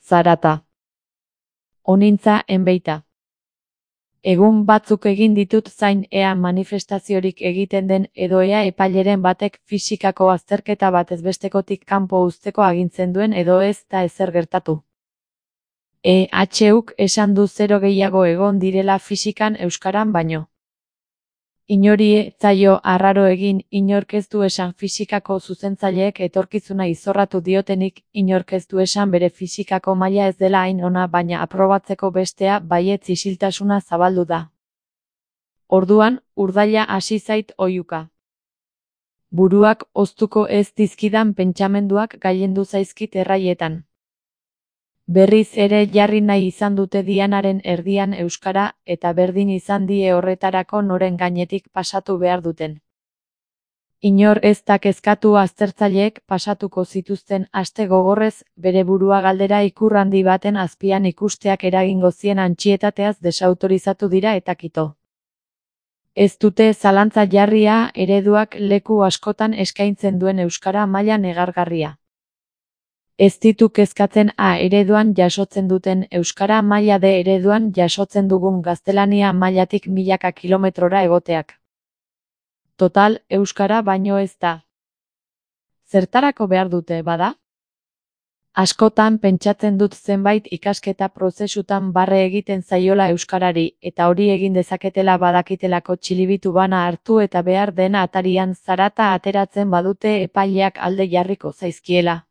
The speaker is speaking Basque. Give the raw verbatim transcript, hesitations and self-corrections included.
zarata. Onintza enbeita. Egun batzuk egin ditut zain ea manifestaziorik egiten den edo ea epaileren batek fisikako azterketa batez bestekotik kanpo uzteko agintzen duen edo ez da ezer gertatu. E H Uk esan du zero gehiago egon direla fisikan euskaran baino. Inori ez zaio arraro egin, inork ez du esan fisikako zuzentzaileek etorkizuna izorratu diotenik, inork ez du esan bere fisikako maila ez dela hain ona baina aprobatzeko bestea baietz isiltasuna zabaldu da. Orduan, urdaila hasi zait oihuka. Buruak hoztuko ez dizkidan pentsamenduak gailendu zaizkit erraietan. Berriz ere jarri nahi izan dute dianaren erdian euskara eta berdin izan die horretarako noren gainetik pasatu behar duten. Inor ez da kezkatu aztertzaileek pasatuko zituzten aste gogorrez bere burua galdera ikur handi baten azpian ikusteak eragingo zien antsietateaz desautorizatu dira eta kito. Ez dute zalantza jarria ereduak leku askotan eskaintzen duen euskara maila negargarria. Ez ditu kezkatzen A ereduan jasotzen duten euskara maila D ereduan jasotzen dugun gaztelania mailatik milaka kilometrora egoteak. Total, euskara baino ez da. Zertarako behar dute, bada? Askotan pentsatzen dut zenbait ikasketa prozesutan barre egiten zaiola euskarari, eta hori egin dezaketela badakitelako txilibitu bana hartu eta behar dena atarian zarata ateratzen badute epaileak alde jarriko zaizkiela.